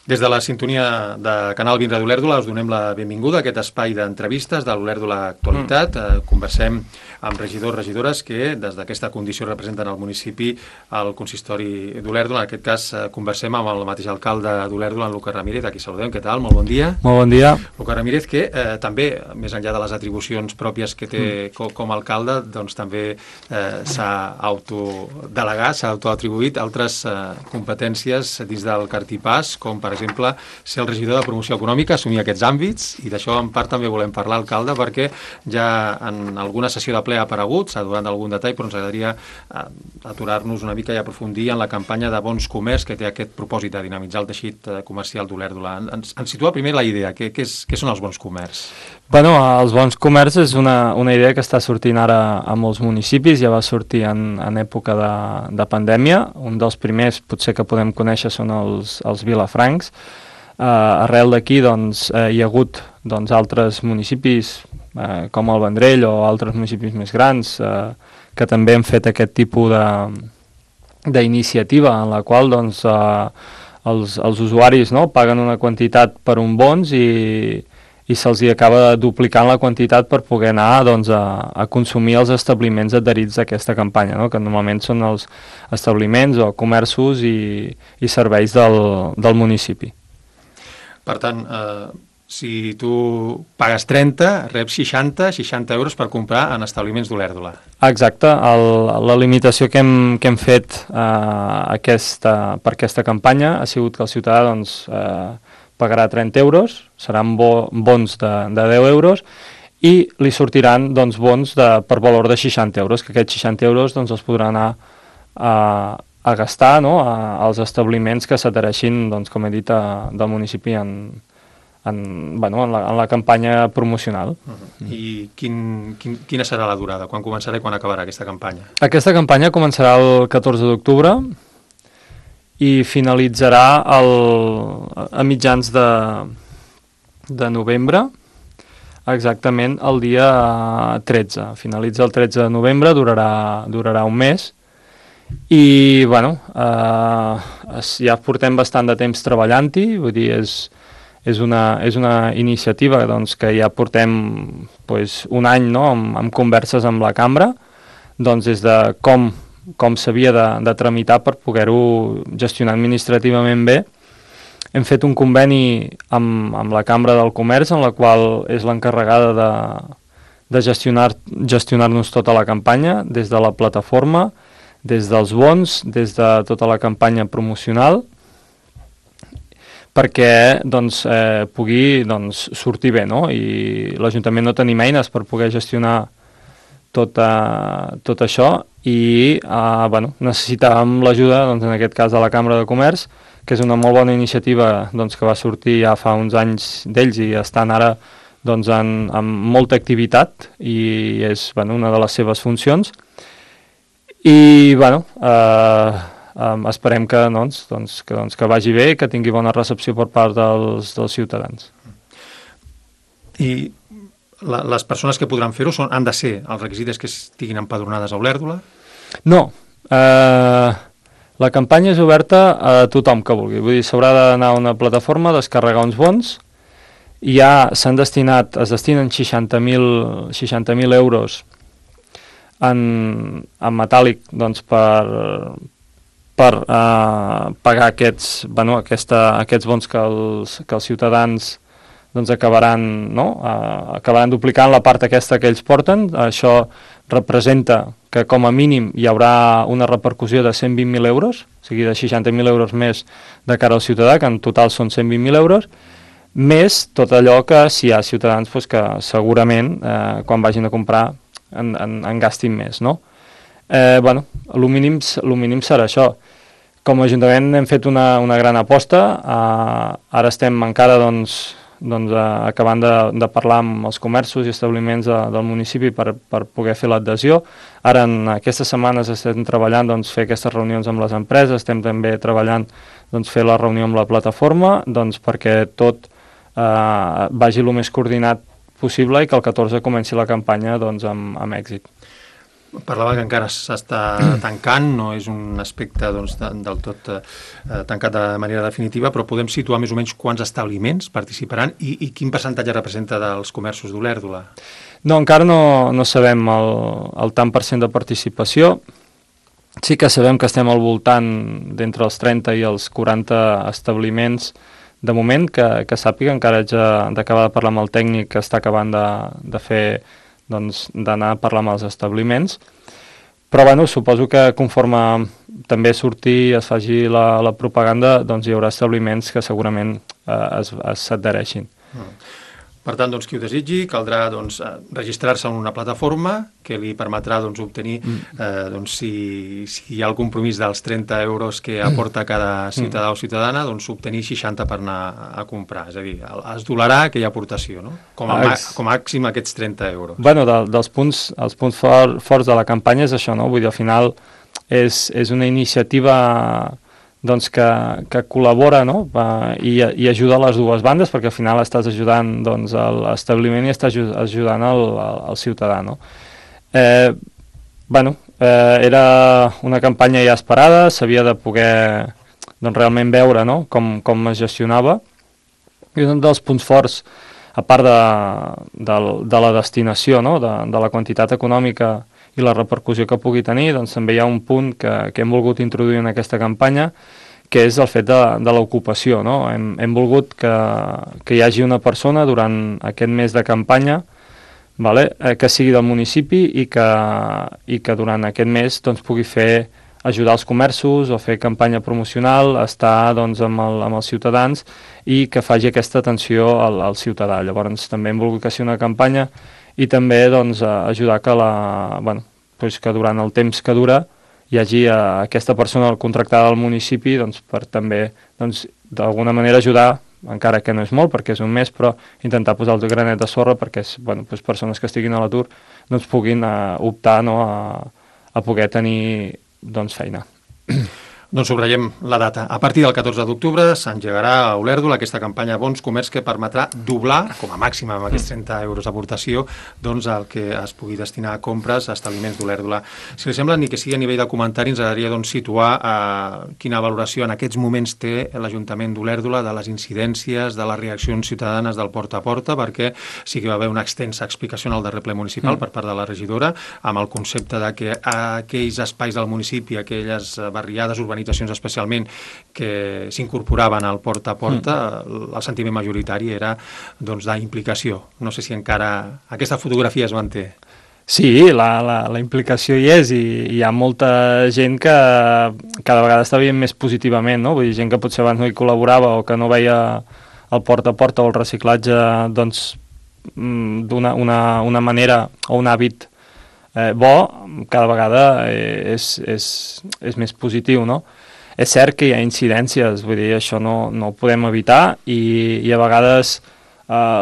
Des de la sintonia de Canal Vindre d'Olèrdola us donem la benvinguda a aquest espai d'entrevistes de l'Olèrdola Actualitat. Conversem amb regidors, regidores que des d'aquesta condició representen el municipi al consistori d'Olèrdola. En aquest cas conversem amb el mateix alcalde d'Olèrdola, en Lucas Ramírez, a qui saludem. Què tal? Molt bon dia. Molt bon dia. Lucas Ramírez, que també, més enllà de les atribucions pròpies que té com a alcalde, doncs també s'ha autodelegat, s'ha autoatribuït altres competències dins del cartipàs, com per exemple ser el regidor de promoció econòmica, assumir aquests àmbits, i d'això en part també volem parlar, alcalde, perquè ja en alguna sessió de ple ha aparegut, s'ha donat algun detall, però ens agradaria aturar-nos una mica i aprofundir en la campanya de Bons Comerç, que té aquest propòsit de dinamitzar el teixit comercial d'Olèrdola. Ens situa primer la idea, què són els bons comerç? Bueno, els bons comerç és una idea que està sortint ara a molts municipis, ja va sortir en època de pandèmia. Un dels primers potser que podem conèixer són els vilafrancs. Arrel d'aquí doncs, hi ha hagut altres municipis com el Vendrell o altres municipis més grans que també han fet aquest tipus d'iniciativa en la qual doncs, els usuaris paguen una quantitat per un bons i se'ls acaba duplicant la quantitat per poder anar a consumir els establiments adherits a aquesta campanya, que normalment són els establiments o comerços i serveis del municipi. Per tant, si tu pagues 30, reps 60 euros per comprar en establiments d'Olèrdola. Exacte. La limitació que hem fet per aquesta campanya ha sigut que el ciutadà pagarà 30 euros, seran bons de 10 euros, i li sortiran bons per valor de 60 euros, que aquests 60 euros els podrà anar a gastar als establiments que s'adhereixin, com he dit, del municipi en la campanya promocional. I quina serà la durada? Quan començarà i quan acabarà aquesta campanya? Aquesta campanya començarà el 14 d'octubre i finalitzarà a mitjans de novembre, exactament el dia 13. Finalitza el 13 de novembre, durarà un mes, i ja portem bastant de temps treballant-hi, vull dir, és una iniciativa que ja portem un any amb converses amb la cambra, des de com s'havia de tramitar per poder-ho gestionar administrativament bé. Hem fet un conveni amb la Cambra del Comerç, en la qual és l'encarregada de gestionar-nos tota la campanya, des de la plataforma, des dels bons, des de tota la campanya promocional, perquè pugui sortir bé, i l'Ajuntament no tenim eines per poder gestionar tot això, i necessitàvem l'ajuda, en aquest cas, de la Cambra de Comerç, que és una molt bona iniciativa que va sortir ja fa uns anys d'ells i estan ara amb molta activitat, i és una de les seves funcions. I esperem que vagi bé, que tingui bona recepció per part dels ciutadans. I les persones que podran fer-ho han de ser els requisits que estiguin empadronades a Olèrdola? No. La campanya és oberta a tothom que vulgui. Vull dir, s'haurà d'anar a una plataforma, descarregar uns bons, i ja es destinen 60.000 euros en metàl·lic per pagar aquests bons que els ciutadans acabaran duplicant la part aquesta que ells porten. Això representa que com a mínim hi haurà una repercussió de 120.000 euros, o sigui, de 60.000 euros més de cara al ciutadà, que en total són 120.000 euros, més tot allò que si hi ha ciutadans que segurament quan vagin a comprar en gastin més, no? El mínim serà això. Com a Ajuntament hem fet una gran aposta, ara estem encara acabant de parlar amb els comerços i establiments del municipi per poder fer l'adhesió. Ara en aquestes setmanes estem treballant fer aquestes reunions amb les empreses, estem també treballant fer la reunió amb la plataforma perquè tot vagi el més coordinat possible i que el 14 comenci la campanya amb èxit. Parlava que encara s'està tancant, no és un aspecte doncs, del tot tancat de manera definitiva, però podem situar més o menys quants establiments participaran i quin percentatge representa dels comerços d'Olèrdola? No, encara no sabem el tant per cent de participació. Sí que sabem que estem al voltant d'entre els 30 i els 40 establiments de moment, que sàpiga, encara haig d'acabar de parlar amb el tècnic que està acabant de fer, doncs, d'anar a parlar amb els establiments, però bueno, suposo que conforme també surti, es faci la propaganda, doncs hi haurà establiments que segurament s'adhereixin. Per tant, doncs, qui ho desitgi, caldrà doncs, registrar-se en una plataforma que li permetrà doncs, obtenir, doncs, si hi ha el compromís dels 30 euros que aporta cada ciutadà o ciutadana, doncs obtenir 60 per anar a comprar. És a dir, es dolarà aquella aportació, no? Com a màxim aquests 30 euros. Bueno, els punts forts de la campanya és això, no? Vull dir, al final és una iniciativa doncs que col·labora, no? I ajuda a les dues bandes, perquè al final estàs ajudant doncs, l'establiment i estàs ajudant el ciutadà, no? Era una campanya ja esperada, s'havia de poder doncs, realment veure, no? com es gestionava, i un dels punts forts, a part de la destinació, no? de la quantitat econòmica i la repercussió que pugui tenir, doncs també hi ha un punt que hem volgut introduir en aquesta campanya, que és el fet de l'ocupació, no? Hem volgut que hi hagi una persona durant aquest mes de campanya, vale? Que sigui del municipi i que durant aquest mes doncs, pugui ajudar els comerços o fer campanya promocional, estar doncs, amb els ciutadans i que faci aquesta atenció al ciutadà. Llavors també hem volgut que sigui una campanya i també doncs, ajudar que durant el temps que dura hi hagi aquesta persona contractada al municipi doncs, per també d'alguna manera ajudar, encara que no és molt perquè és un mes, però intentar posar el granet de sorra perquè persones que estiguin a l'atur doncs, puguin optar, no, a poder tenir doncs, feina. Doncs subratllem la data. A partir del 14 d'octubre s'engegarà a Olèrdola aquesta campanya Bons Comerç que permetrà doblar, com a màxim amb aquests 30 euros d'aportació, doncs el que es pugui destinar a compres a establiments d'Olèrdola. Si li sembla, ni que sigui a nivell de comentari, ens agradaria doncs, situar quina valoració en aquests moments té l'Ajuntament d'Olèrdola de les incidències, de les reaccions ciutadanes del porta a porta, perquè sí que va haver una extensa explicació en el darrer ple municipal per part de la regidora, amb el concepte de que aquells espais del municipi, aquelles barriades urbanístiques especialment que s'incorporaven al porta a porta, el sentiment majoritari era doncs, d'implicació. No sé si encara aquesta fotografia es manté. Sí, la implicació hi és i hi ha molta gent que cada vegada està veient més positivament, no? Vull dir, gent que potser abans no hi col·laborava o que no veia el porta a porta o el reciclatge doncs, d'una manera o un hàbit bo, cada vegada és més positiu, no? És cert que hi ha incidències, vull dir, això no ho podem evitar i a vegades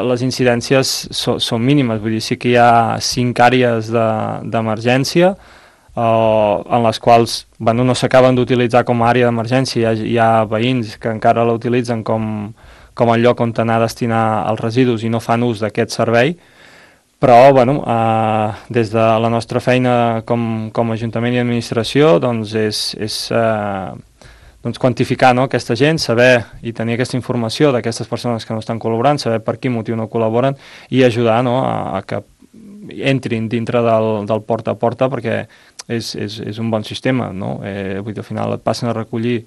les incidències són mínimes, vull dir, sí que hi ha 5 àrees d'emergència en les quals no s'acaben d'utilitzar com a àrea d'emergència, hi ha veïns que encara la utilitzen com el lloc on anar a destinar els residus i no fan ús d'aquest servei. Però, des de la nostra feina com a Ajuntament i Administració, doncs és quantificar, no, aquesta gent, saber i tenir aquesta informació d'aquestes persones que no estan col·laborant, saber per quin motiu no col·laboren i ajudar, no, a que entrin dintre del porta a porta, perquè és un bon sistema, no? Vull dir, al final et passen a recollir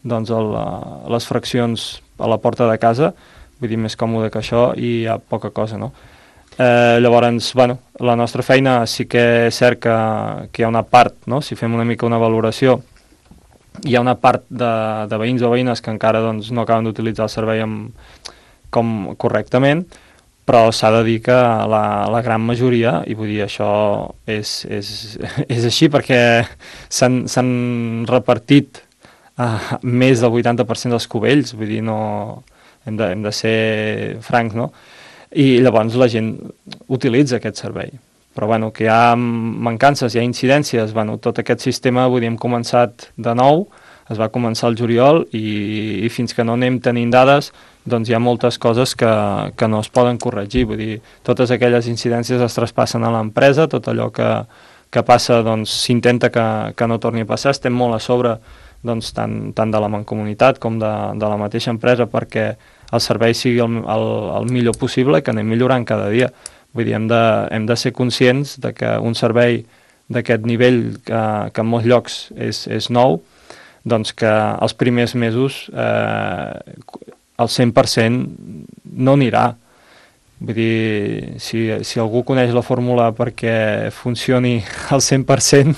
doncs, les fraccions a la porta de casa, vull dir, més còmode que això i hi ha poca cosa, no? Llavors, la nostra feina sí que és cert que hi ha una part, no? Si fem una mica una valoració, hi ha una part de veïns o veïnes que encara doncs, no acaben d'utilitzar el servei com correctament, però s'ha de dir que la gran majoria, i vull dir, això és així perquè s'han repartit més del 80% dels cubells, vull dir, no, hem de ser francs, no? I llavors la gent utilitza aquest servei. Però que hi ha mancances, hi ha incidències, tot aquest sistema, vull dir, hem començat de nou, es va començar al juliol i fins que no anem tenint dades, doncs hi ha moltes coses que no es poden corregir, vull dir, totes aquelles incidències es traspassen a l'empresa, tot allò que que passa, doncs s'intenta que no torni a passar. Estem molt a sobre doncs, tant de la mancomunitat com de la mateixa empresa perquè el servei sigui el millor possible i que anem millorant cada dia. Vull dir, hem de ser conscients de que un servei d'aquest nivell que en molts llocs és nou, doncs que els primers mesos el 100% no anirà. Vull dir, si algú coneix la fórmula perquè funcioni al 100%,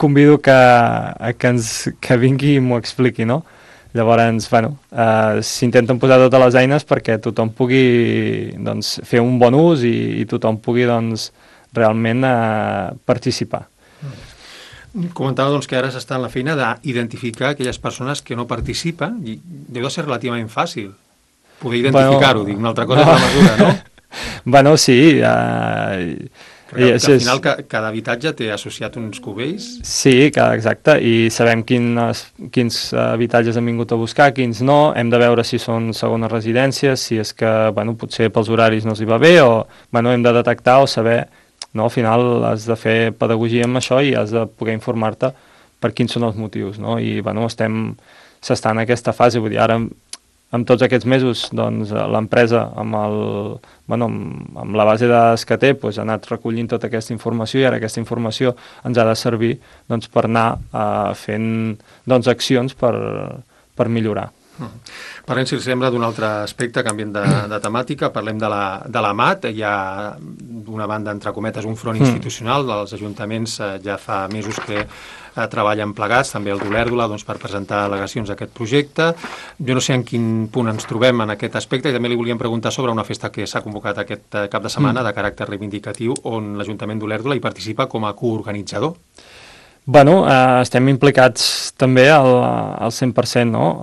convido que vingui i m'ho expliqui, no? Llavors, bueno, s'intenten posar totes les eines perquè tothom pugui doncs, fer un bon ús i tothom pugui doncs, realment participar. Comentava doncs, que ara s'està en la feina d'identificar aquelles persones que no participen i deu de ser relativament fàcil poder identificar-ho, dic, una altra cosa és la mesura, no? Bueno, sí. Al final cada habitatge té associat uns cubells. Sí, exacte, i sabem quins habitatges han vingut a buscar, quins no, hem de veure si són segones residències, si és que bueno, potser pels horaris no els hi va bé, o bueno, hem de detectar o saber. No, al final has de fer pedagogia amb això i has de poder informar-te per quins són els motius, no? I bueno, s'està en aquesta fase, vull dir, ara amb tots aquests mesos doncs, l'empresa amb la base de dades que té doncs, ha anat recollint tota aquesta informació i ara aquesta informació ens ha de servir doncs, per anar fent doncs, accions per millorar. Parlem, si els sembla, d'un altre aspecte, canviant de temàtica, parlem de la MAT. Hi ha, d'una banda, entre cometes, un front institucional dels ajuntaments, ja fa mesos que treballen plegats, també el d'Olèrdola, doncs, per presentar al·legacions a aquest projecte. Jo no sé en quin punt ens trobem en aquest aspecte i també li volíem preguntar sobre una festa que s'ha convocat aquest cap de setmana de caràcter reivindicatiu on l'Ajuntament d'Olèrdola hi participa com a coorganitzador. Bueno, estem implicats també al 100%, no?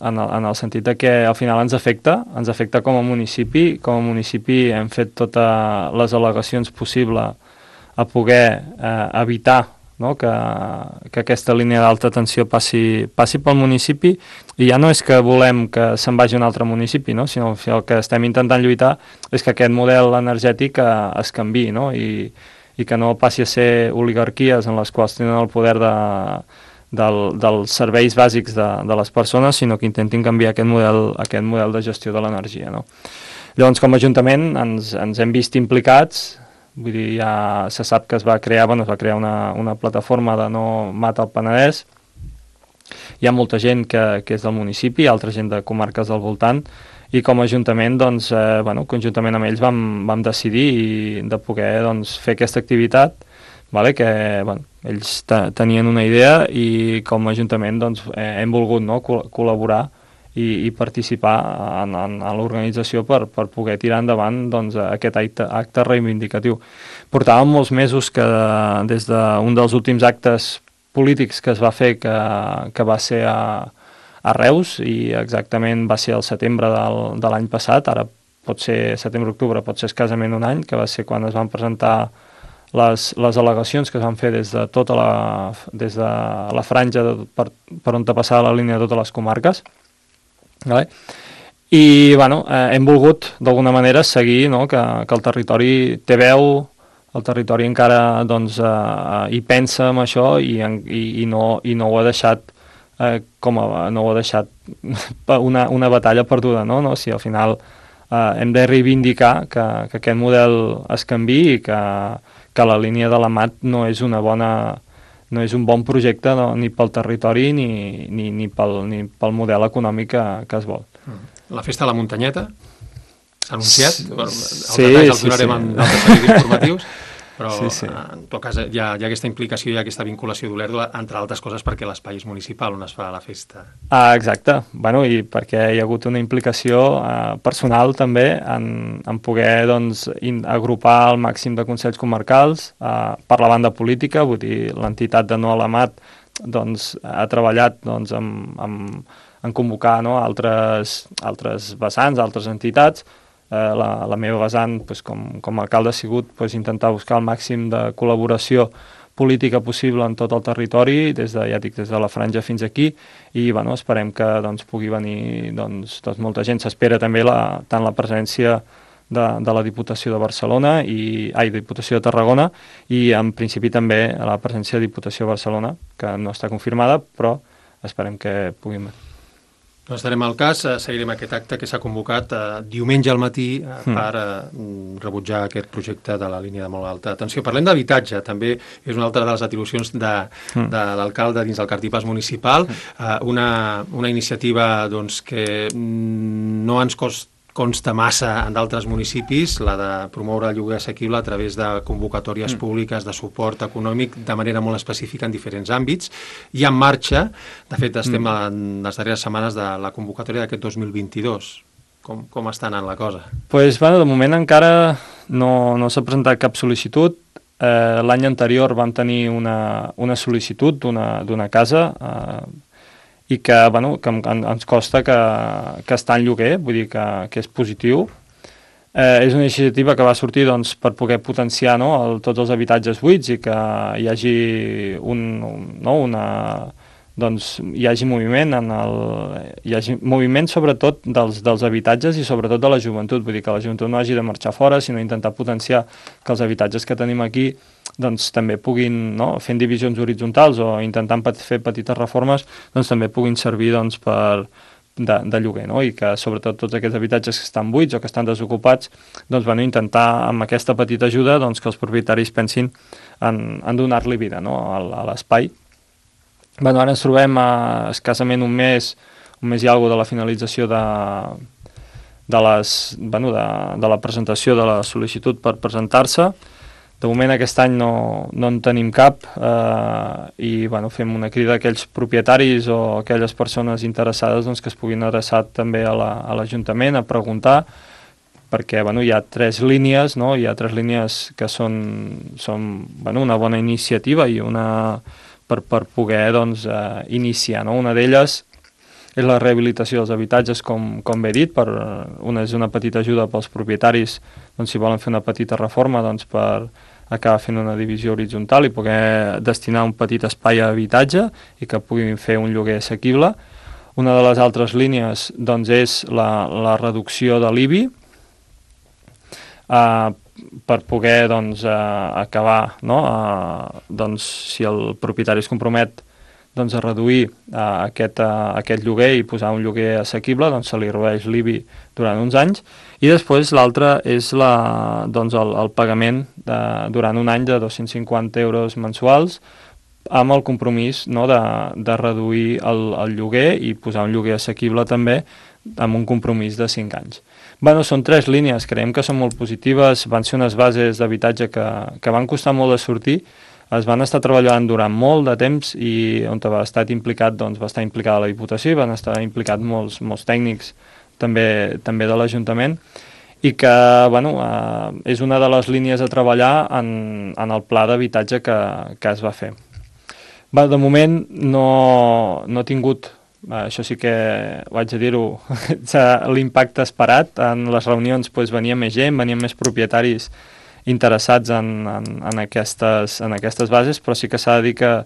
En el sentit de que al final ens afecta com a municipi. Com a municipi hem fet totes les al·legacions possibles a poder evitar, no? que aquesta línia d'alta tensió passi pel municipi, i ja no és que volem que se'n vagi a un altre municipi, no? Sinó que el que estem intentant lluitar és que aquest model energètic es canviï, no? I que no passi a ser oligarquies en les quals tenen el poder dels serveis bàsics de les persones, sinó que intentin canviar aquest model de gestió de l'energia, no? Llavors, com a Ajuntament, ens hem vist implicats. Vull dir, ja se sap que es va crear una plataforma de No Mata al Penedès. Hi ha molta gent que és del municipi, altra gent de comarques del voltant, i com a Ajuntament, doncs, conjuntament amb ells vam decidir de poder doncs, fer aquesta activitat, que ells tenien una idea i com a Ajuntament doncs, hem volgut col·laborar i participar en l'organització per poder tirar endavant doncs, aquest acte reivindicatiu. Portàvem molts mesos que des d'un dels últims actes polítics que es va fer, que va ser a Reus, i exactament va ser el setembre de l'any passat, ara pot ser setembre-octubre, pot ser escassament un any, que va ser quan es van presentar les al·legacions que es van fer des de la franja per on passava la línia de totes les comarques. Vale? I hem volgut d'alguna manera seguir, no? que el territori té veu, el territori encara doncs, hi pensa en això i no ho ha deixat no ho ha deixat una batalla perduda, no? Si al final hem de reivindicar que aquest model es canviï i que la línia de la MAT no és un bon projecte ni pel territori ni pel model econòmic que es vol. La festa de la Muntanyeta s'ha anunciat? Sí, els donarem en altres serveis informatius, però sí. en tot cas hi ha aquesta implicació i aquesta vinculació d'Olèrdola, entre altres coses perquè l'espai és municipal on es fa la festa. Exacte, i perquè hi ha hagut una implicació personal també en poder doncs, agrupar el màxim de consells comarcals per la banda política. Vull dir, l'entitat de No a la MAT doncs, ha treballat doncs, en convocar altres vessants, altres entitats. La meva vessant, com a alcalde, ha sigut intentar buscar el màxim de col·laboració política possible en tot el territori, des de la franja fins aquí, i esperem que pugui venir molta gent. S'espera també tant la presència de la Diputació de Barcelona Diputació de Tarragona, i en principi també la presència de Diputació de Barcelona, que no està confirmada, però esperem que puguin. No estarem al cas, seguirem aquest acte que s'ha convocat diumenge al matí per rebutjar aquest projecte de la línia de molt alta tensió. Parlem d'habitatge, també és una altra de les atribucions de l'alcalde dins del cartipàs municipal, una iniciativa doncs, que no ens consta massa en d'altres municipis, la de promoure el lloguer assequible a través de convocatòries públiques de suport econòmic de manera molt específica en diferents àmbits. I en marxa, de fet estem en les darreres setmanes de la convocatòria d'aquest 2022. Com està anant la cosa? Pues, de moment encara no s'ha presentat cap sol·licitud. L'any anterior vam tenir una sol·licitud d'una casa i que ens costa que està en lloguer, vull dir que és positiu. És una iniciativa que va sortir per poder potenciar tots els habitatges buits i que hi hagi hi hagi moviment hi hagi moviment sobretot dels habitatges i sobretot de la joventut, vull dir que la joventut no hagi de marxar fora, sinó intentar potenciar que els habitatges que tenim aquí també puguin, fent divisions horitzontals o intentant fer petites reformes, també puguin servir de lloguer, i que sobretot tots aquests habitatges que estan buits o que estan desocupats, intentar amb aquesta petita ajuda que els propietaris pensin en donar-li vida a l'espai. Ara ens trobem a escassament un mes i alguna de la finalització de la presentació de la sol·licitud per presentar-se. De moment aquest any no en tenim cap i fem una crida a aquells propietaris o aquelles persones interessades que es puguin adreçar també a l'Ajuntament a preguntar, perquè hi ha tres línies, hi ha tres línies que són una bona iniciativa i una per poder iniciar. Una d'elles és la rehabilitació dels habitatges, com bé he dit, és una petita ajuda pels propietaris si volen fer una petita reforma per acabar fent una divisió horitzontal i poder destinar un petit espai a habitatge i que puguin fer un lloguer assequible. Una de les altres línies és la reducció de l'IBI per poder acabar, si el propietari es compromet a reduir aquest lloguer i posar un lloguer assequible, se li redueix l'IBI durant uns anys. I després l'altra és el pagament durant un any de 250 euros mensuals amb el compromís de reduir el lloguer i posar un lloguer assequible també amb un compromís de 5 anys. Són tres línies, creiem que són molt positives, van ser unes bases d'habitatge que van costar molt de sortir, es van estar treballant durant molt de temps i on va estar implicada la Diputació i van estar implicats molts tècnics també de l'Ajuntament i que és una de les línies a treballar en el pla d'habitatge que es va fer. De moment no ha tingut, això sí que ho haig de dir-ho, l'impacte esperat. En les reunions venia més gent, venien més propietaris interessats en aquestes bases, però sí que s'ha de dir que,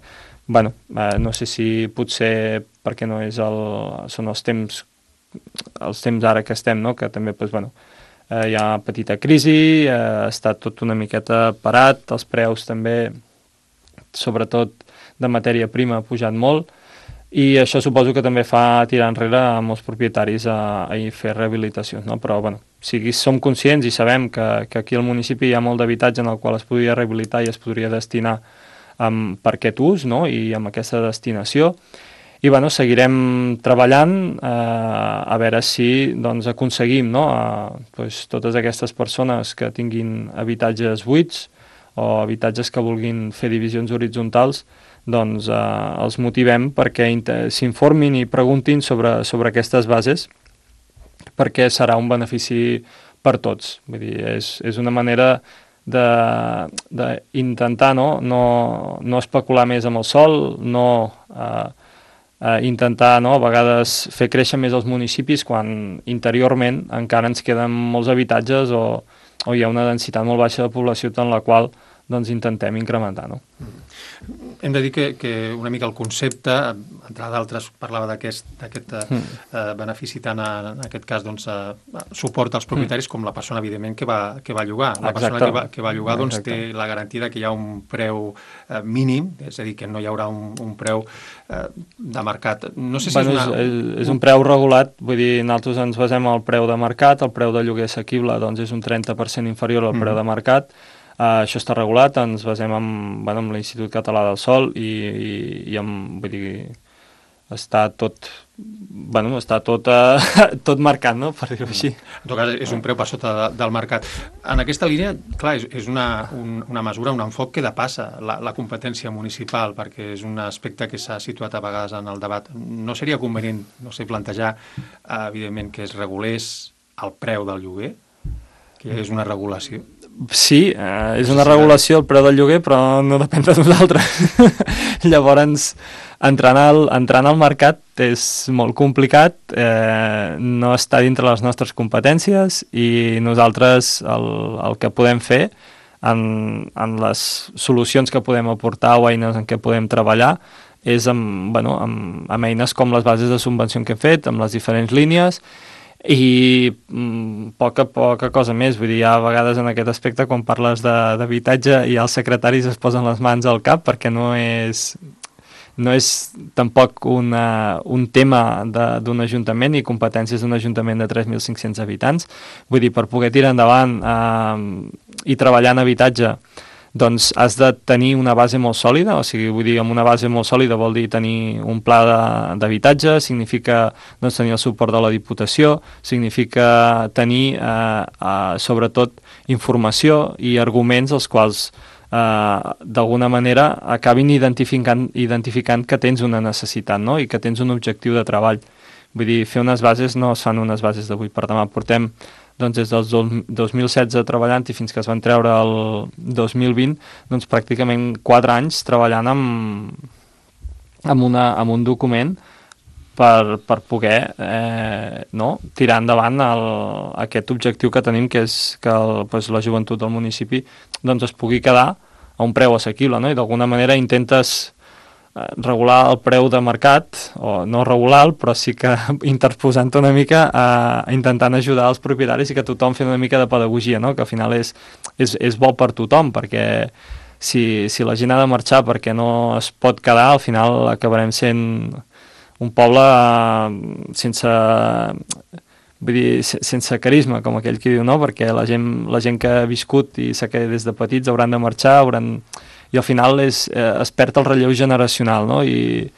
no sé si potser perquè no són els temps ara que estem, que també hi ha petita crisi, ha estat tot una miqueta parat, els preus també, sobretot de matèria prima, ha pujat molt, i això suposo que també fa tirar enrere a molts propietaris a fer rehabilitacions, però som conscients i sabem que aquí al municipi hi ha molt d'habitatge en el qual es podria rehabilitar i es podria destinar per aquest ús i amb aquesta destinació, i seguirem treballant a veure si aconseguim totes aquestes persones que tinguin habitatges buits o habitatges que vulguin fer divisions horitzontals, els motivem perquè s'informin i preguntin sobre aquestes bases, perquè serà un benefici per tots. Vull dir, és una manera d'intentar no especular més amb el sòl, intentar a vegades fer créixer més els municipis quan interiorment encara ens queden molts habitatges o hi ha una densitat molt baixa de població en la qual doncs intentem incrementar, no? Hem de dir que una mica el concepte, entre d'altres, parlava d'aquest benefici tant en aquest cas doncs, suport als propietaris com la persona, evidentment, que va llogar. La persona que va llogar doncs, té la garantia que hi ha un preu mínim, és a dir, que no hi haurà un preu de mercat. No sé si és un preu regulat, vull dir, nosaltres ens basem en el preu de mercat, el preu de lloguer assequible doncs, és un 30% inferior al preu de mercat. Això està regulat, ens basem en l'Institut Català del Sòl i vull dir, està tot marcat, no?, per dir-ho així. En tot cas, és un preu per sota del mercat. En aquesta línia, clar, és una mesura, un enfoc que depassa la competència municipal, perquè és un aspecte que s'ha situat a vegades en el debat. No seria convenient, plantejar, evidentment, que es regulés el preu del lloguer, que és una regulació? Sí, és una regulació el preu del lloguer, però no depèn de nosaltres. Llavors, entrant al mercat és molt complicat, no està dintre les nostres competències i nosaltres el que podem fer en les solucions que podem aportar o eines en què podem treballar és amb eines com les bases de subvenció que hem fet, amb les diferents línies, i poca cosa més. Vull dir, a vegades en aquest aspecte quan parles d'habitatge i els secretaris es posen les mans al cap perquè no és tampoc un tema d'un ajuntament i competències d'un ajuntament de 3.500 habitants. Vull dir, per poder tirar endavant i treballar en habitatge doncs has de tenir una base molt sòlida, o sigui, vull dir, amb una base molt sòlida vol dir tenir un pla d'habitatge, significa doncs, tenir el suport de la Diputació, significa tenir, sobretot, informació i arguments els quals, d'alguna manera, acabin identificant que tens una necessitat, no?, i que tens un objectiu de treball. Vull dir, fer unes bases no es fan unes bases d'avui per demà. Portem doncs des del 2016 treballant i fins que es van treure el 2020, doncs pràcticament 4 anys treballant amb un document per poder tirar endavant aquest objectiu que tenim, que és que la joventut del municipi doncs, es pugui quedar a un preu assequible, no? I d'alguna manera intentes regular el preu de mercat, o no regular-lo, però sí que interposant una mica intentant ajudar els propietaris i que tothom fent una mica de pedagogia, no? Que al final és bo per tothom, perquè si la gent ha de marxar perquè no es pot quedar, al final acabarem sent un poble sense carisma, com aquell que diu, no? Perquè la gent que ha viscut i s'ha quedat des de petits hauran de marxar, i al final es perd el relleu generacional, no? I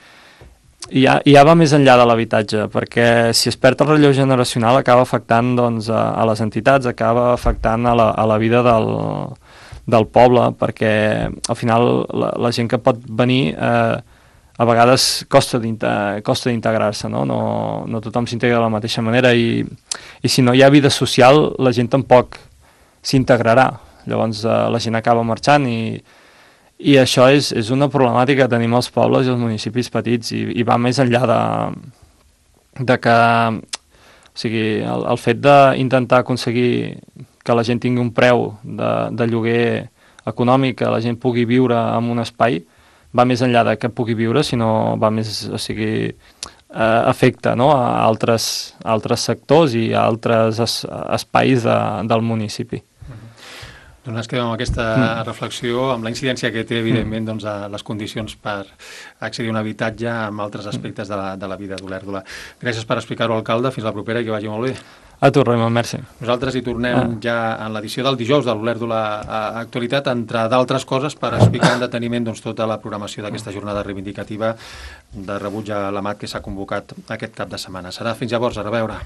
ja va més enllà de l'habitatge, perquè si es perd el relleu generacional acaba afectant doncs, a les entitats, acaba afectant a la vida del poble, perquè al final la gent que pot venir a vegades costa d'integrar-se, no? No tothom s'integra de la mateixa manera i si no hi ha vida social la gent tampoc s'integrarà, llavors la gent acaba marxant i això és una problemàtica que tenim als pobles i als municipis petits i va més enllà de que, o sigui, el fet d'intentar aconseguir que la gent tingui un preu de lloguer econòmic, que la gent pugui viure en un espai, va més enllà de que pugui viure, sinó va més, o sigui, afecta, no?, a altres sectors i a altres espais del municipi. Doncs ens quedem amb aquesta reflexió, amb la incidència que té, evidentment, doncs, a les condicions per accedir a un habitatge amb altres aspectes de la vida d'Olèrdola. Gràcies per explicar-ho, alcalde. Fins la propera i que vagi molt bé. A tu, Raimon, merci. Nosaltres hi tornem ja en l'edició del dijous de l'Olèrdola Actualitat, entre d'altres coses, per explicar en deteniment doncs, tota la programació d'aquesta jornada reivindicativa de rebuig a l'AMAT que s'ha convocat aquest cap de setmana. Serà fins llavors, a reveure.